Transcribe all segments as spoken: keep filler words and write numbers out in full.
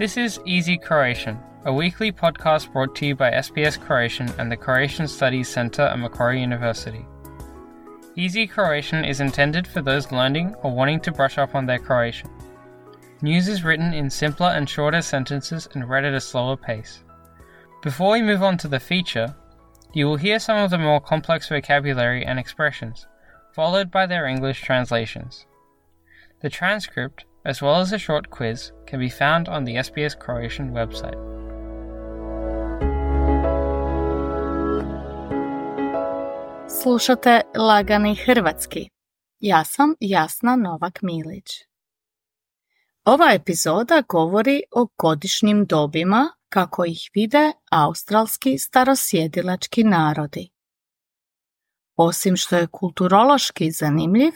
This is Easy Croatian, a weekly podcast brought to you by S B S Croatian and the Croatian Studies Centre at Macquarie University. Easy Croatian is intended for those learning or wanting to brush up on their Croatian. News is written in simpler and shorter sentences and read at a slower pace. Before we move on to the feature, you will hear some of the more complex vocabulary and expressions, followed by their English translations. The transcript, as well as a short quiz, can be found on the S B S Croatian website. Slušate Lagani hrvatski. Ja sam Jasna Novak-Milić. Ova epizoda govori o godišnjim dobima kako ih vide australski starosjedilački narodi. Osim što je kulturološki zanimljiv,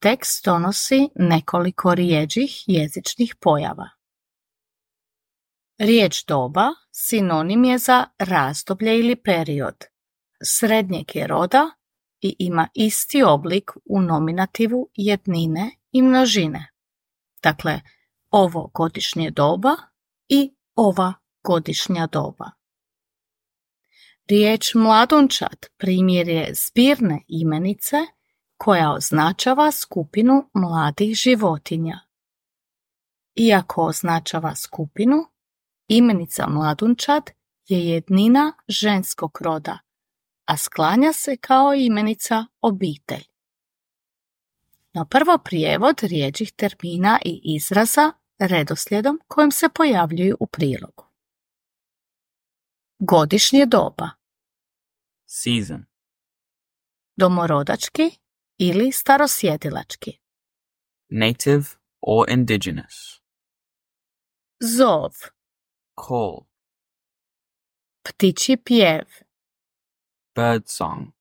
tekst donosi nekoliko rjeđih jezičnih pojava. Riječ doba sinonim je za razdoblje ili period. Srednjeg je roda i ima isti oblik u nominativu jednine i množine. Dakle, ovo godišnje doba i ova godišnja doba. Riječ mladunčad primjer je zbirne imenice koja označava skupinu mladih životinja. Iako označava skupinu, imenica mladunčad je jednina ženskog roda, a sklanja se kao imenica obitelj. No prvo prijevod rijeđih termina i izraza redoslijedom kojim se pojavljuju u prilogu. Godišnje doba. Season. Domorodački ili starosjedilački. Native or indigenous. Zov. Call. Ptičji pjev. Bird song.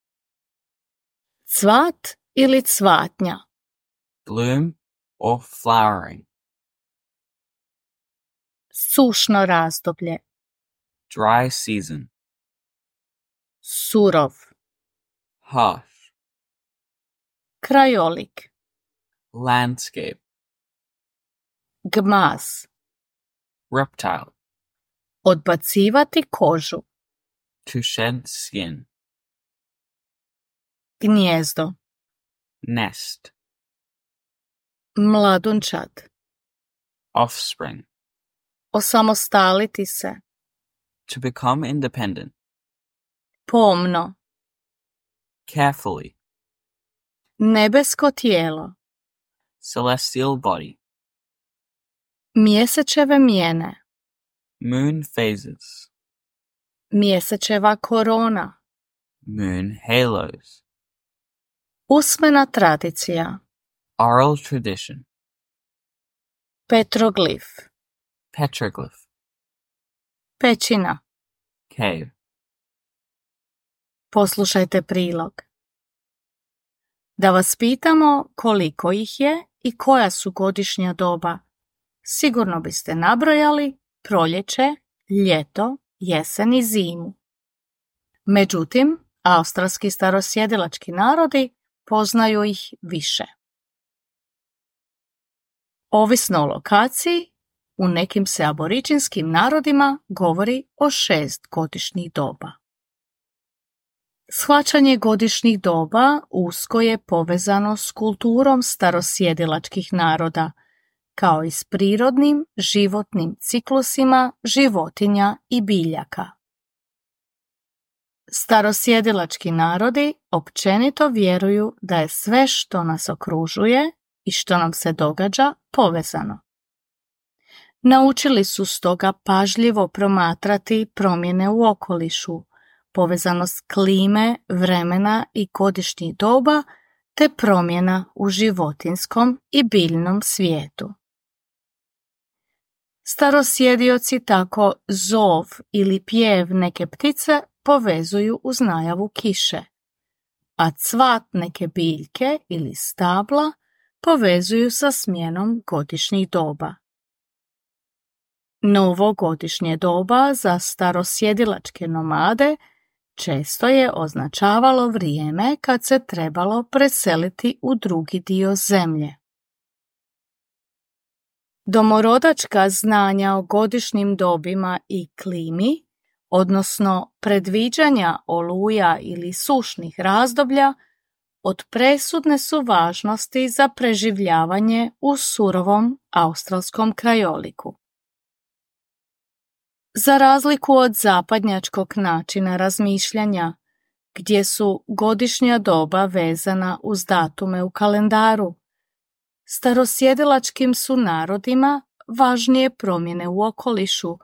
Cvat ili cvatnja. Bloom or flowering. Sušno razdoblje. Dry season. Surov. Harsh. Krajolik. Landscape. Gmaz. Reptile. Odbacivati kožu. To shed skin. Gnijezdo. Nest. Mladunčad. Offspring. Osamostaliti se. To become independent. Pomno. Carefully. Nebesko tijelo. Celestial body. Mjesečeve mijene. Moon phases. Mjesečeva korona. Moon halos. Usmena tradicija. Oral tradition. Petroglif. Petroglyph. Pećina. Cave. Poslušajte prilog. Da vas pitamo koliko ih je i koja su godišnja doba, sigurno biste nabrojali proljeće, ljeto, jesen i zimu. Međutim, australski starosjedilački narodi poznaju ih više. Ovisno o lokaciji, u nekim se aboriđinskim narodima govori o šest godišnjih doba. Shvaćanje godišnjih doba usko je povezano s kulturom starosjedilačkih naroda, kao i s prirodnim životnim ciklusima životinja i biljaka. Starosjedilački narodi općenito vjeruju da je sve što nas okružuje i što nam se događa povezano. Naučili su stoga pažljivo promatrati promjene u okolišu, povezanost klime, vremena i godišnjih doba, te promjena u životinjskom i biljnom svijetu. Starosjedioci tako zov ili pjev neke ptice povezuju uz najavu kiše, a cvat neke biljke ili stabla povezuju sa smjenom godišnjih doba. Novo godišnje doba za starosjedilačke nomade često je označavalo vrijeme kad se trebalo preseliti u drugi dio zemlje. Domorodačka znanja o godišnjim dobima i klimi, odnosno predviđanja oluja ili sušnih razdoblja, od presudne su važnosti za preživljavanje u surovom australskom krajoliku. Za razliku od zapadnjačkog načina razmišljanja, gdje su godišnja doba vezana uz datume u kalendaru, starosjedilačkim su narodima važnije promjene u okolišu,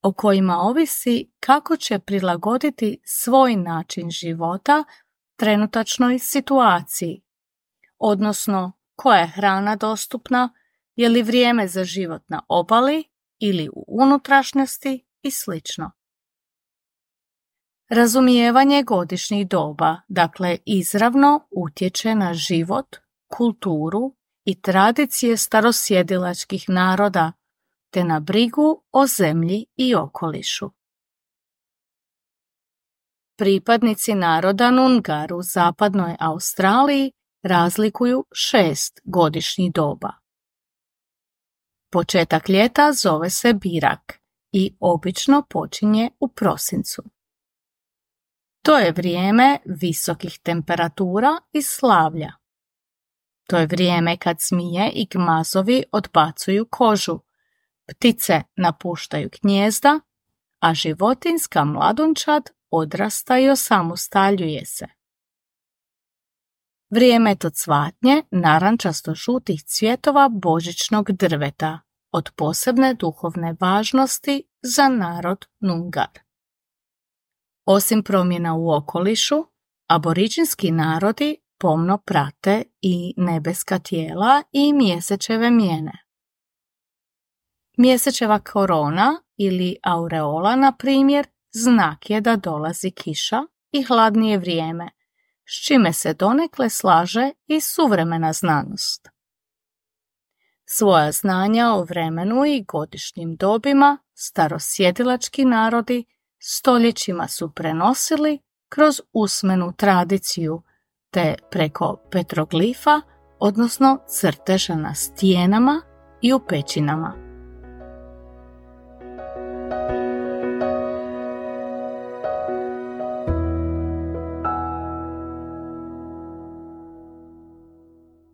o kojima ovisi kako će prilagoditi svoj način života trenutačnoj situaciji, odnosno koja je hrana dostupna, je li vrijeme za život na obali ili u unutrašnjosti i sl. Razumijevanje godišnjih doba, dakle, izravno utječe na život, kulturu i tradicije starosjedilačkih naroda, te na brigu o zemlji i okolišu. Pripadnici naroda Noongar u zapadnoj Australiji razlikuju šest godišnjih doba. Početak ljeta zove se Birak i obično počinje u prosincu. To je vrijeme visokih temperatura i slavlja. To je vrijeme kad zmije i gmazovi odbacuju kožu, ptice napuštaju gnijezda, a životinjska mladunčad odrasta i osamostaljuje se. Vrijeme je to cvatnje narančasto-žutih cvjetova božićnog drveta, od posebne duhovne važnosti za narod Noongar. Osim promjena u okolišu, aboriđinski narodi pomno prate i nebeska tijela i mjesečeve mijene. Mjesečeva korona ili aureola, na primjer, znak je da dolazi kiša i hladnije vrijeme, s čime se donekle slaže i suvremena znanost. Svoja znanja o vremenu i godišnjim dobima starosjedilački narodi stoljećima su prenosili kroz usmenu tradiciju, te preko petroglifa, odnosno crteža na stijenama i u pećinama.